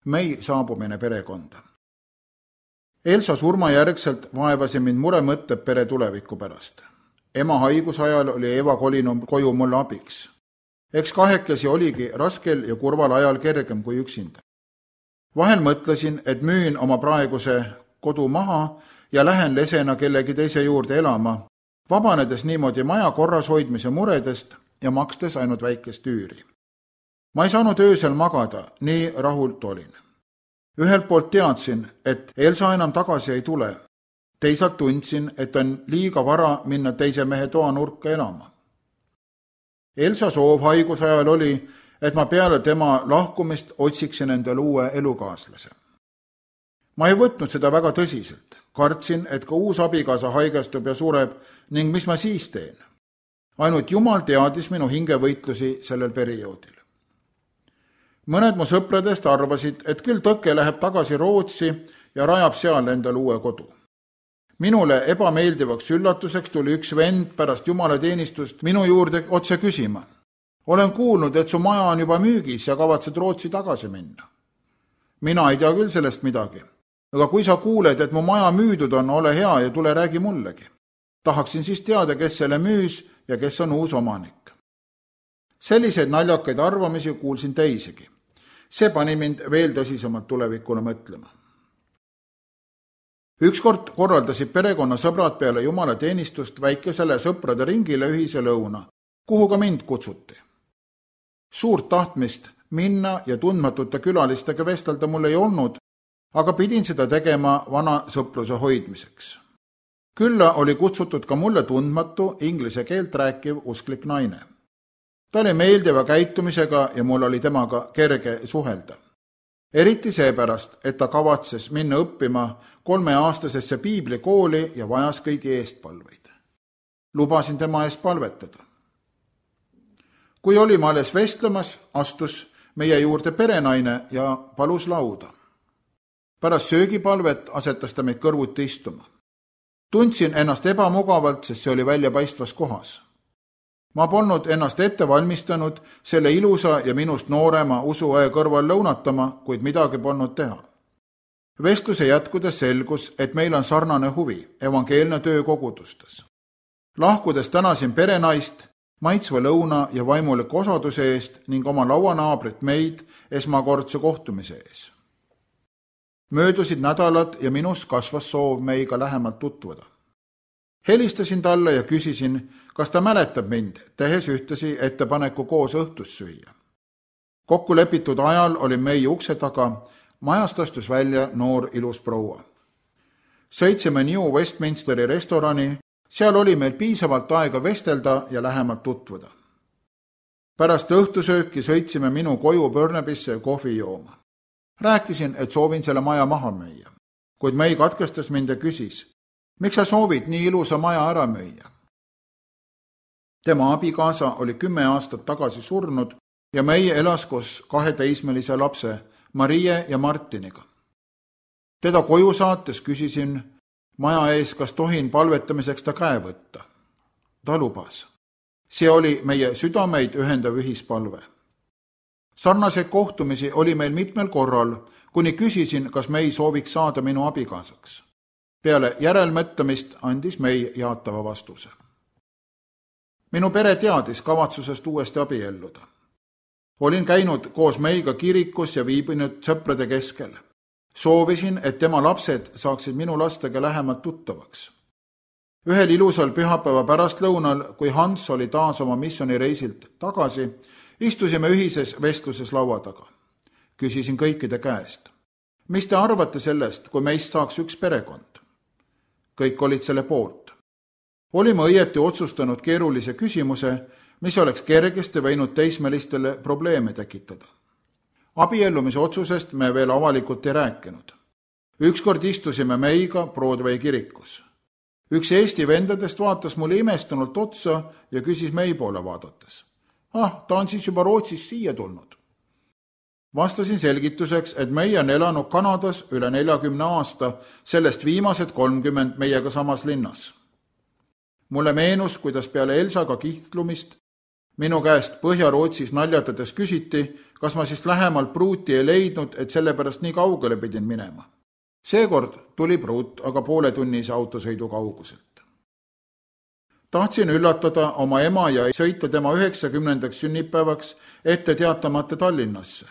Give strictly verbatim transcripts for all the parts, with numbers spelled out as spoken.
Mei saabumine perekonda. Elsa surma järgselt vaevasi mind muremõtted pere tuleviku pärast. Ema haigusajal oli Eva kolinud koju mulle abiks. Eks kahekesi oligi raskel ja kurval ajal kergem kui üksinda. Vahel mõtlesin, et müün oma praeguse kodu maha ja lähen lesena kellegi teise juurde elama, vabanedes niimoodi maja korras hoidmise muredest ja makstes ainult väikest üüri. Ma ei saanud öösel magada, nii rahult olin. Ühelt poolt teadsin, et Elsa enam tagasi ei tule. Teisalt tundsin, et on liiga vara minna teise mehe toa nurka elama. Elsa soov haigusajal oli, et ma peale tema lahkumist otsiksin endale uue elukaaslase. Ma ei võtnud seda väga tõsiselt. Kartsin, et ka uus abikaasa haigestub ja sureb ning mis ma siis teen. Ainult Jumal teadis minu hingevõitlusi sellel perioodil. Mõned mu sõpradest arvasid, et küll Tõkke läheb tagasi Rootsi ja rajab seal endale uue kodu. Minule ebameeldivaks üllatuseks tuli üks vend pärast jumalateenistust minu juurde otse küsima. Olen kuulnud, et su maja on juba müügis ja kavatsed Rootsi tagasi minna. Mina ei tea küll sellest midagi, aga kui sa kuuled, et mu maja müüdud on, ole hea ja tule räägi mullegi. Tahaksin siis teada, kes selle müüs ja kes on uus omanik. Selliseid naljakaid arvamisi kuulsin teisigi. See pani mind veel tõsisemalt tulevikule mõtlema. Ükskord korraldasid perekonna sõbrad peale jumalateenistust väikesele sõprade ringile ühise lõuna, kuhu ka mind kutsuti. Suurt tahtmist minna ja tundmatute külalistega vestelda mul ei olnud, aga pidin seda tegema vana sõpruse hoidmiseks. Külla oli kutsutud ka mulle tundmatu inglise keelt rääkiv usklik naine. Ta oli meeldiva käitumisega ja mul oli temaga kerge suhelda. Eriti seepärast, et ta kavatses minna õppima kolmeaastasesse piiblikooli ja vajas kõigi eestpalveid. Lubasin tema eest palvetada. Kui olime alles vestlemas, astus meie juurde perenaine ja palus lauda. Pärast söögipalvet asetas ta meid kõrvuti istuma. Tundsin ennast ebamugavalt, sest see oli väljapaistvas kohas. Ma polnud ennast ette valmistanud selle ilusa ja minust noorema usuõe kõrval lõunatama, kuid midagi polnud teha. Vestluse jätkudes selgus, et meil on sarnane huvi, evangeelne töö kogudustes. Lahkudes tänasin perenaist, maitsva lõuna ja vaimuliku osaduse eest ning oma lauanaabrit meid esmakordse kohtumise ees. Möödusid nädalad ja minus kasvas soov meiga lähemalt tutvuda. Helistasin talle ja küsisin, kas ta mäletab mind, tehes ühtesi ettepaneku koos õhtust süüa. Kokku lepitud ajal oli meie ukse taga, majast astus välja noor ilus proua. Sõitsime New Westminsteri restorani, seal oli meil piisavalt aega vestelda ja lähemalt tutvuda. Pärast õhtusööki sõitsime minu koju Burnabisse kohvi jooma. Rääkisin, et soovin selle maja maha müüa, kuid Mei katkestas mind ja küsis, miks sa soovid nii ilusa maja ära müüa? Tema abikaasa oli kümme aastat tagasi surnud ja meie elas koos kahe teismelise lapse, Marie ja Martiniga. Teda koju saates küsisin maja ees, kas tohin palvetamiseks ta käe võtta. Ta lubas. See oli meie südameid ühendav ühispalve. Sarnaseid kohtumisi oli meil mitmel korral, kuni küsisin, kas Mei sooviks saada minu abikaasaks. Peale järelmõtlemist andis Mei jaatava vastuse. Minu pere teadis kavatsusest uuesti abielluda. Olin käinud koos Meiga kirikus ja viibinud sõprade keskel. Soovisin, et tema lapsed saaksid minu lastega lähemalt tuttavaks. Ühel ilusal pühapäeva pärastlõunal, kui Hans oli taas oma missionireisilt tagasi, istusime ühises vestluses laua taga. Küsisin kõikide käest. Mis te arvate sellest, kui meist saaks üks perekond? Kõik olid selle poolt. Olime õieti otsustanud keerulise küsimuse, mis oleks kergesti võinud teismelistele probleeme tekitada. Abiellumise otsusest me veel avalikult ei rääkinud. Ükskord istusime Meiga Broadway kirikus. Üks Eesti vendadest vaatas mulle imestunult otsa ja küsis Mei poole vaadates. Ah, ta on siis juba Rootsist siia tulnud. Vastasin selgituseks, et Mei on elanud Kanadas üle neljakümne aasta, sellest viimased kolmkümmend meiega samas linnas. Mulle meenus, kuidas peale Elsaga kihtlumist minu käest Põhja-Rootsis naljatades küsiti, kas ma siis lähemalt pruuti ei leidnud, et sellepärast nii kaugele pidin minema. Seekord tuli pruut aga poole tunnise autosõidu kauguselt. Tahtsin üllatada oma ema ja sõita tema üheksakümnendaks sünnipäevaks ette teatamata Tallinnasse.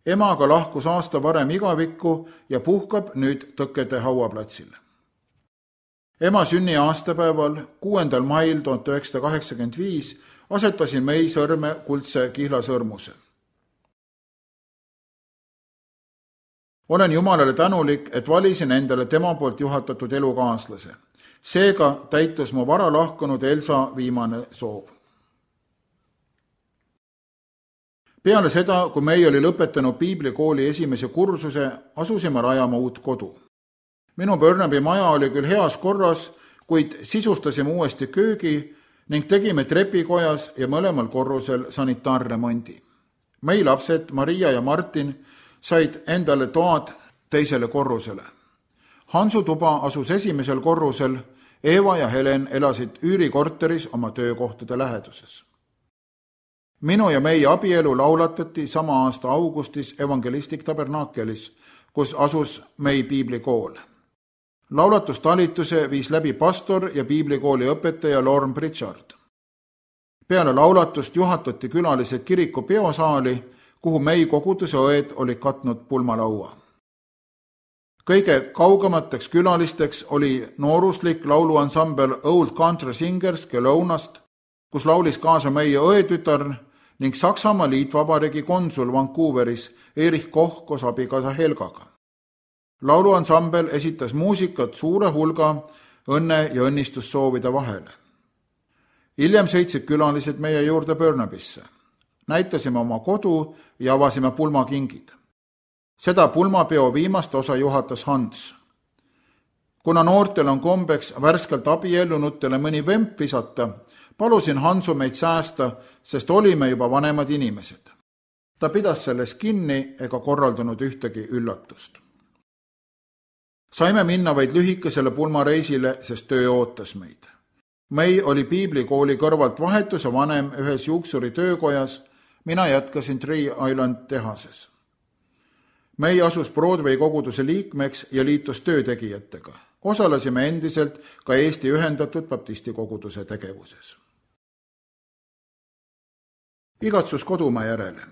Ema aga lahkus aasta varem igavikku ja puhkab nüüd Tõkede hauaplatsile. Ema sünni aastapäeval, kuuendal mail tuhat üheksasada kaheksakümmend viis, asetasin mei sõrme kuldse kihlasõrmuse. Olen Jumalale tänulik, et valisin endale tema poolt juhatatud elukaaslase. Seega täitus mu vara lahkunud Elsa viimane soov. Peale seda, kui mei oli lõpetanud piiblikooli esimese kursuse, asusime rajama uut kodu. Minu Burnaby maja oli küll heas korras, kuid sisustasime uuesti köögi ning tegime trepikojas ja mõlemal korrusel sanitaarremondi. Mei lapsed, Maria ja Martin, said endale toad teisele korrusele. Hansu tuba asus esimesel korrusel, Eva ja Helen elasid üürikorteris oma töökohtade läheduses. Minu ja meie abielu laulatati sama aasta augustis Evangelistik Tabernakelis, kus asus mei piiblikool. Laulatustalituse viis läbi pastor ja piiblikooli õpetaja Lorne Pritchard. Peale laulatust juhatati külalised kiriku peosaali, kuhu mei koguduse õed olid katnud pulmalaua. Kõige kaugemateks külalisteks oli nooruslik lauluansambel Old Country Singers Kelounast, kus laulis kaasa meie õetütar ning Saksamaa liitvabariigi konsul Vancouveris Erich Koch koos abikaasa Helgaga. Lauluansambel esitas muusikat suure hulga õnne- ja õnnistussoovide vahele. Hiljem sõitsid külalised meie juurde Burnabisse. Näitasime oma kodu ja avasime pulmakingid. Seda pulmapeo viimast osa juhatas Hans. Kuna noortel on kombeks värskelt abiellunutele mõni vemp visata, palusin Hansu meid säästa, sest olime juba vanemad inimesed. Ta pidas sellest kinni ega korraldanud ühtegi üllatust. Saime minna vaid lühikesele pulmareisile, sest töö ootas meid. Mei oli piiblikooli kõrvalt vahetuse vanem ühes juuksuri töökojas, mina jätkasin Tree Island tehases. Mei asus Broadway koguduse liikmeks ja liitus töötegijatega. Osalesime endiselt ka Eesti Ühendatud Baptisti koguduse tegevuses. Igatsus kodumaa järele.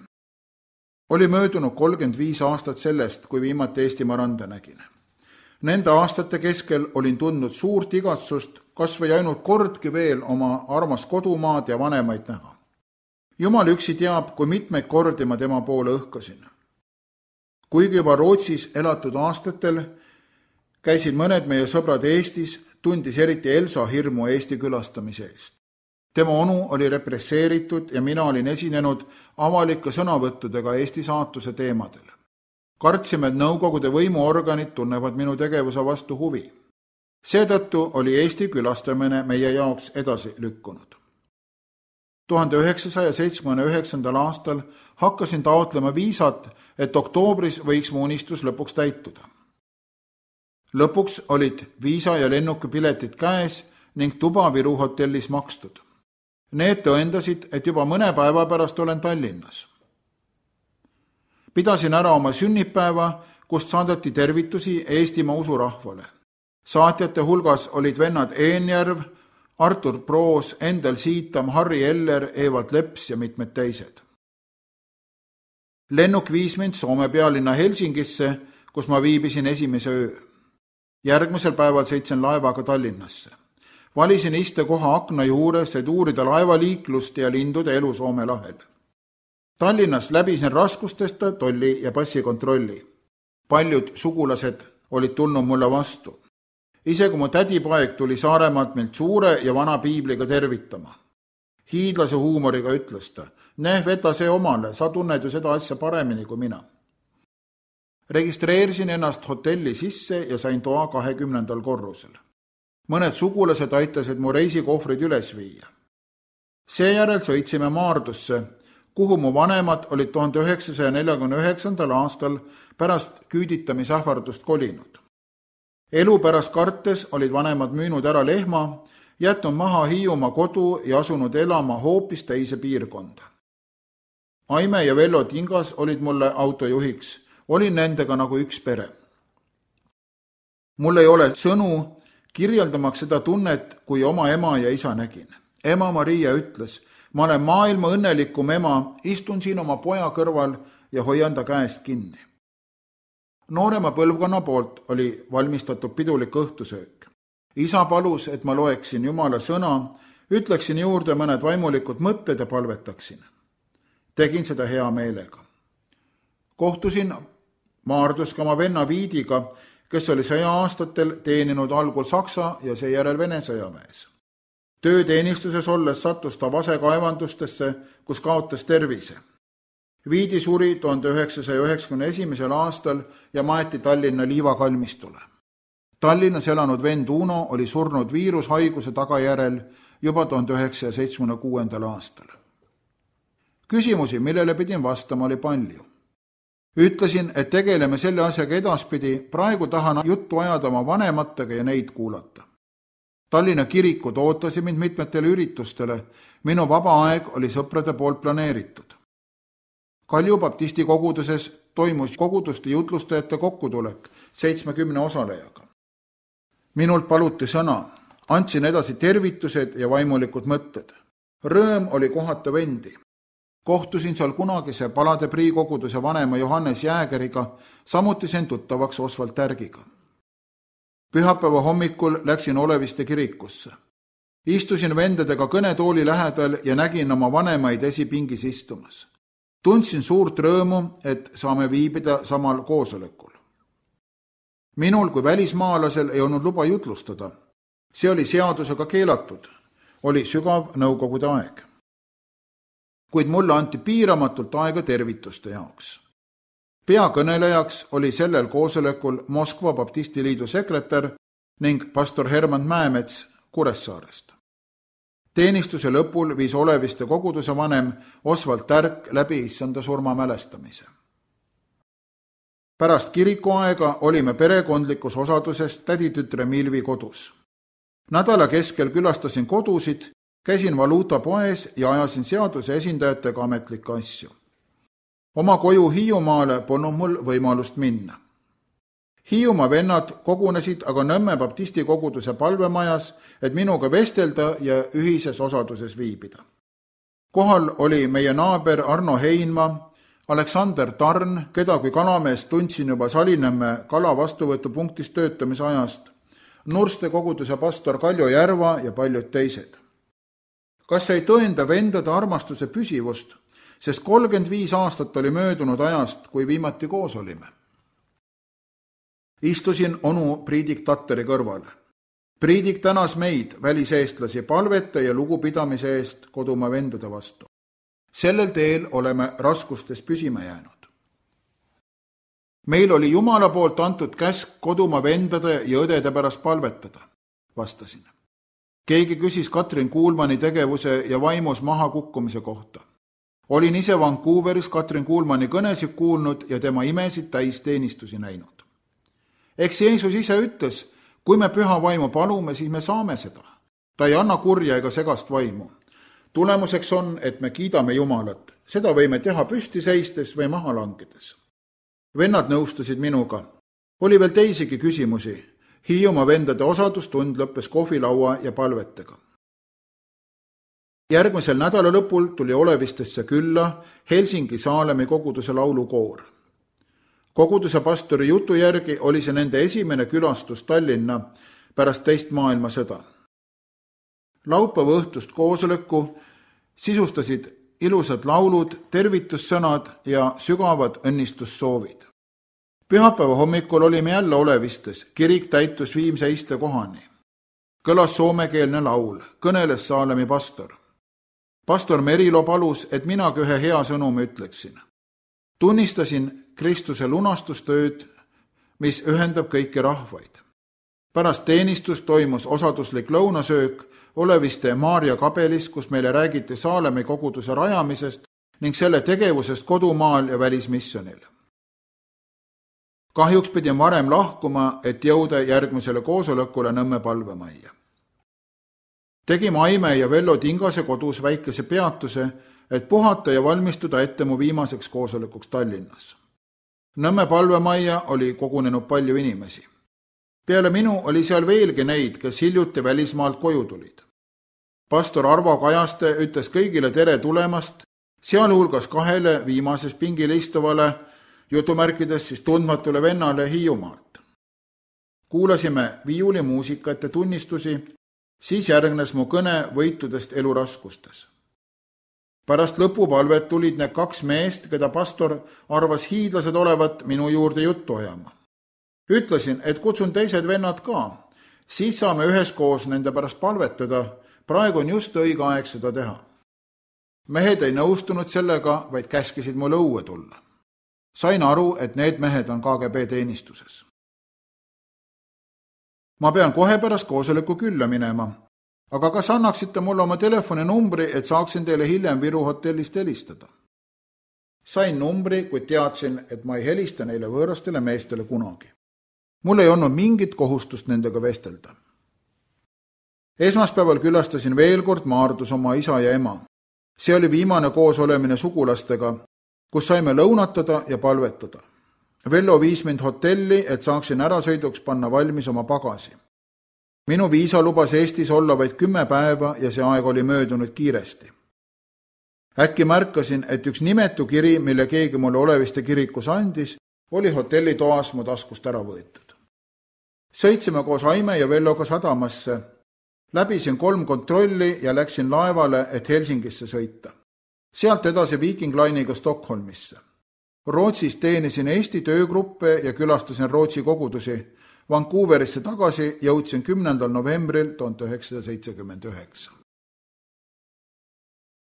Oli möödunud kolmkümmend viis aastat sellest, kui viimati Eestimaa randa nägin. Nende aastate keskel olin tundnud suurt igatsust, kas või ainult kordki veel oma armas kodumaad ja vanemaid näha. Jumal üksi teab, kui mitmeid kordi ma tema poole õhkasin. Kuigi juba Rootsis elatud aastatel käisid mõned meie sõbrad Eestis, tundis eriti Elsa hirmu Eesti külastamise eest. Tema onu oli represseeritud ja mina olin esinenud avalike sõnavõttudega Eesti saatuse teemadel. Kartsime, et Nõukogude võimuorganid tunnevad minu tegevuse vastu huvi. Seetõttu oli Eesti külastamine meie jaoks edasi lükkunud. tuhande üheksasaja seitsmekümne üheksandal aastal hakkasin taotlema viisat, et oktoobris võiks mu unistus lõpuks täituda. Lõpuks olid viisa ja lennukipiletid käes ning tuba Viru hotellis makstud. Need tõendasid, et juba mõne päeva pärast olen Tallinnas. Pidasin ära oma sünnipäeva, kust saadeti tervitusi Eestimaa usurahvale. Saatjate hulgas olid vennad Eenjärv, Artur Proos, Endel Siitam, Harri Eller, Evald Leps ja mitmed teised. Lennuk viis mind Soome pealinna Helsingisse, kus ma viibisin esimese öö. Järgmisel päeval sõitsin laevaga Tallinnasse. Valisin istekoha akna juures, et uurida laevaliiklust ja lindude elu Soome lahel. Tallinnas läbisin raskustesta tolli ja passikontrolli. Paljud sugulased olid tulnud mulle vastu. Isegi mu tädipaeg tuli Saaremaalt meilt suure ja vana piibliga tervitama. Hiidlase huumoriga ütles ta, neh, veta see omale, sa tunned ju seda asja paremini kui mina. Registreerisin ennast hotelli sisse ja sain toa kahekümnendal korrusel. Mõned sugulased aitasid mu reisikohvrid üles viia. Seejärel sõitsime Maardusse, kuhu mu vanemad olid tuhande üheksasaja neljakümne üheksandal aastal pärast küüditamisähvardust kolinud. Elu pärast kartes olid vanemad müünud ära lehma, jätnud maha Hiiumaa kodu ja asunud elama hoopis teise piirkonda. Aime ja Vello Tingas olid mulle autojuhiks, olin nendega nagu üks pere. Mul ei ole sõnu kirjeldamaks seda tunnet, kui oma ema ja isa nägin. Ema Maria ütles, ma olen maailma õnnelikum ema, istun siin oma poja kõrval ja hoian ta käest kinni. Noorema põlvkonna poolt oli valmistatud pidulik õhtusöök. Isa palus, et ma loeksin Jumala sõna, ütleksin juurde mõned vaimulikud mõtted ja palvetaksin. Tegin seda hea meelega. Kohtusin Maardus ka oma venna Viidiga, kes oli sõja-aastatel teeninud algul Saksa ja seejärel Vene sõjaväes. Tööteenistuses olles sattus ta vasekaevandustesse, kus kaotas tervise. Viidi suri tuhande üheksasaja üheksakümne esimesel aastal ja maeti Tallinna liivakalmistule. Tallinnas elanud vend Uno oli surnud viirushaiguse tagajärel juba tuhande üheksasaja seitsmekümne kuuendal aastal. Küsimusi, millele pidin vastama, oli palju. Ütlesin, et tegeleme selle asjaga edaspidi, praegu tahan juttu ajada oma vanematega ja neid kuulata. Tallinna kirikud ootasid mind mitmetele üritustele, minu vaba aeg oli sõprade poolt planeeritud. Kalju baptisti koguduses toimus koguduste jutlustajate kokkutulek seitsmekümne osalejaga. Minult paluti sõna, andsin edasi tervitused ja vaimulikud mõtted. Rõõm oli kohata vendi. Kohtusin seal kunagise Palade priikoguduse vanema Johannes Jäägeriga, samuti sen tuttavaks Osvald Tärgiga. Pühapäeva hommikul läksin Oleviste kirikusse. Istusin vendadega kõnetooli lähedal ja nägin oma vanemaid esipingis istumas. Tundsin suurt rõõmu, et saame viibida samal koosolekul. Minul kui välismaalasel ei olnud luba jutlustada. See oli seadusega keelatud. Oli sügav nõukogude aeg. Kuid mulle anti piiramatult aega tervituste jaoks. Peakõnelejaks oli sellel koosolekul Moskva baptistiliidu sekretär ning pastor Herman Mäemets Kuressaarest. Teenistuse lõpul viis Oleviste koguduse vanem Osvald Tärk läbi issanda surma mälestamise. Pärast kirikuaega olime perekondlikus osaduses täditütre Milvi kodus. Nädala keskel külastasin kodusid, käisin valuutapoes ja ajasin seaduse esindajatega ametlikke asju. Oma koju Hiiumaale polnud mul võimalust minna. Hiiumaa vennad kogunesid aga Nõmme baptisti koguduse palvemajas, et minuga vestelda ja ühises osaduses viibida. Kohal oli meie naaber Arno Heinma, Aleksander Tarn, keda kui kalameest tundsin juba Salinõmme kala vastuvõtupunktis töötamise ajast, Nurste koguduse pastor Kaljo Järva ja paljud teised. Kas ei tõenda vendade armastuse püsivust, sest kolmkümmend viis aastat oli möödunud ajast, kui viimati koos olime. Istusin onu Priidik Tatteri kõrval. Priidik tänas meid, väliseestlasi, palvete ja lugupidamise eest kodumaa vendade vastu. Sellel teel oleme raskustes püsima jäänud. Meil oli Jumala poolt antud käsk kodumaa vendade ja õdede pärast palvetada, vastasin. Keegi küsis Katrin Kuulmani tegevuse ja vaimus maha kukkumise kohta. Olin ise Vancouveris Katrin Kuulmani kõnesid kuulnud ja tema imesid täis teenistusi näinud. Eks Jeesus ise ütles, kui me püha vaimu palume, siis me saame seda. Ta ei anna kurja ega segast vaimu. Tulemuseks on, et me kiidame Jumalat. Seda võime teha püsti seistes või maha langedes. Vennad nõustusid minuga. Oli veel teisigi küsimusi. Hiiumaa vendade osadustund lõppes kohvilaua ja palvetega. Järgmisel nädala lõpul tuli Olevistesse külla Helsingi Saalemi koguduse laulukoor. Koguduse pastori jutu järgi oli see nende esimene külastus Tallinna pärast teist maailmasõda. Laupäeva õhtust koosoleku sisustasid ilusad laulud, tervitussõnad ja sügavad õnnistussoovid. Pühapäeva hommikul olime jälle Olevistes, kirik täitus viimse iste kohani. Kõlas soomekeelne laul, kõneles Saalemi pastor. Pastor Merilo palus, et minagi ühe hea sõnumi ütleksin. Tunnistasin Kristuse lunastustööd, mis ühendab kõiki rahvaid. Pärast teenistust toimus osaduslik lõunasöök Oleviste Maarja kabelis, kus meile räägiti Saalemi koguduse rajamisest ning selle tegevusest kodumaal ja välismissionil. Kahjuks pidin varem lahkuma, et jõuda järgmisele koosolekule Nõmme palvemajja. Tegime Aime ja Vello Tingase kodus väikese peatuse, et puhata ja valmistuda ette mu viimaseks koosolekuks Tallinnas. Nõmme palvemajja oli kogunenud palju inimesi. Peale minu oli seal veelgi neid, kes hiljuti välismaalt koju tulid. Pastor Arvo Kajaste ütles kõigile tere tulemast, sealhulgas kahele viimases pingile istuvale, jutumärkides siis tundmatule vennale Hiiumaalt. Kuulasime viiulimuusikat ja tunnistusi, siis järgnes mu kõne võitudest eluraskustes. Pärast lõpupalvet tulid need kaks meest, keda pastor arvas hiidlased olevat minu juurde juttu ajama. Ütlesin, et kutsun teised vennad ka, siis saame üheskoos nende pärast palvetada, praegu on just õige aeg seda teha. Mehed ei nõustunud sellega, vaid käskisid mul õue tulla. Sain aru, et need mehed on K G B teenistuses. Ma pean kohe pärast koosoleku külla minema, aga kas annaksite mulle oma telefoninumbri, et saaksin teile hiljem Viru hotellist helistada? Sain numbri, kuid teadsin, et ma ei helista neile võõrastele meestele kunagi. Mul ei olnud mingit kohustust nendega vestelda. Esmaspäeval külastasin veel kord Maardus oma isa ja ema. See oli viimane koos olemine sugulastega, kus saime lõunatada ja palvetada. Vello viis mind hotelli, et saaksin ärasõiduks panna valmis oma pagasi. Minu viisa lubas Eestis olla vaid kümme päeva ja see aeg oli möödunud kiiresti. Äkki märkasin, et üks nimetu kiri, mille keegi mulle Oleviste kirikus andis, oli hotellitoas mu taskust ära võetud. Sõitsime koos Aime ja Velloga sadamasse, läbisin kolm kontrolli ja läksin laevale, et Helsingisse sõita. Sealt edasi Viking Line'iga Stockholmisse. Rootsis teenisin Eesti töögruppe ja külastasin Rootsi kogudusi. Vancouverisse tagasi jõudsin kümnendal novembril tuhat üheksasada seitsekümmend üheksa.